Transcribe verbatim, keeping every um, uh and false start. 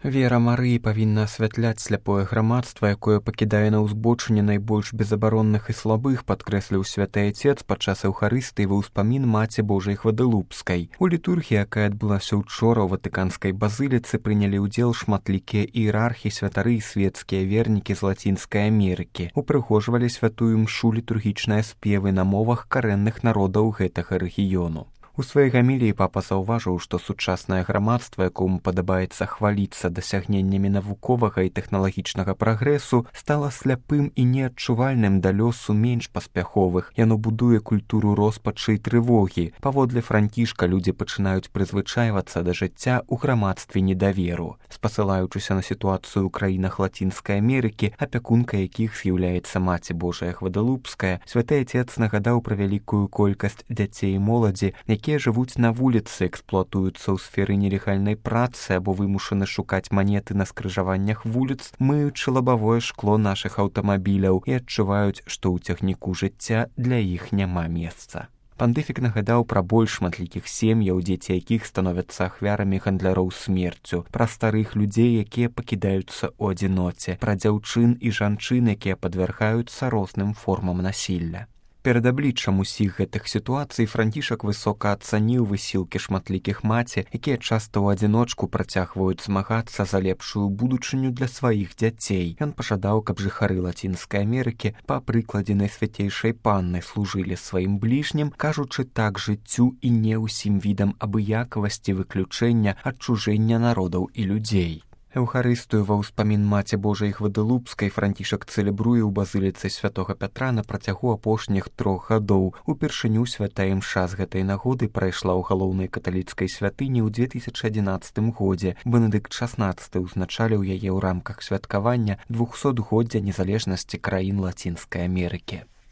Вера Марыі павінна асвятляць сляпое грамадства, якое пакідае на ўзбочыне найбольш безабаронных і слабых, падкрэсліў святы Айцец падчас эўхарыстыі ва ўспамін Маці Божай Гвадалупскай. У літургіі, якая адбылася ўчора ў Ватыканскай базыліцы, прынялі ўдзел шматлікія іерархі, святары і свецкія вернікі з Лацінскай Амерыкі. Упрыгожвалі святую мшу літургічныя спевы на мовах карэнных народаў гэтага рэгіёну. У сваёй гаміліі папа заўважыў, што сучаснае грамадства, якому падабаецца хваліцца дасягненнямі навуковага і тэхналагічнага прагрэсу, стала сляпым і неадчувальным да лёсу менш паспяховых. Яно будуе культуру роспачы і трывогі. Паводле Францішка людзі пачынаюць прызвычайвацца да жыцця ў грамадстве недаверу. Спасылаючыся на сітуацыю ў краінах Лацінскай Амерыкі, апякункай якіх з'яўляецца Маці Божая Гвадалупская, святы Айцец нагадаў пра вялікую колькасць дзяцей і моладзі, якія жывуць на вуліцы, эксплуатуюцца ў сферы нелегальнай працы або вымушаны шукаць манеты на скрыжаваннях вуліц, мыючы лабавое шкло нашых аўтамабіляў і адчуваюць, што ў цягніку жыцця для іх няма месца. Пандыфік нагадаў пра больш шматлікіх сем'яў, дзеці якіх становяцца ахвярамі гандляроў смерцю, пра старых людзей, якія пакідаюцца ў адзіноце, пра дзяўчын і жанчын, якія падвяргаюцца розным формам насілля. Перад абліччам усіх гэтых сітуацый Францішак высока ацаніў высілкі шматлікіх маці, якія часта ў адзіночку працягваюць змагацца за лепшую будучыню для сваіх дзяцей. Ён пажадаў, каб жыхары Лацінскай Амерыкі па прыкладзе найсвяцейшай панны служылі сваім бліжнім, кажучы так жыццю і не ўсім відам абыякавасці, выключэння, адчужэння народаў і людзей. Эўхарыстыю ва ўспамін Маці Божай Гвадалупскай Францішак цэлебруе ў базыліцы святога Пятра на працягу апошніх трох гадоў. Упершыню святая імша з гэтай нагоды прайшла ў галоўнай каталіцкай святыні ў две тысячы адзінаццатым годзе. Бенедыкт шаснаццаты ўзначаліў яе ў рамках святкавання двухсотгоддзя незалежнасці краін Лацінскай Амерыкі.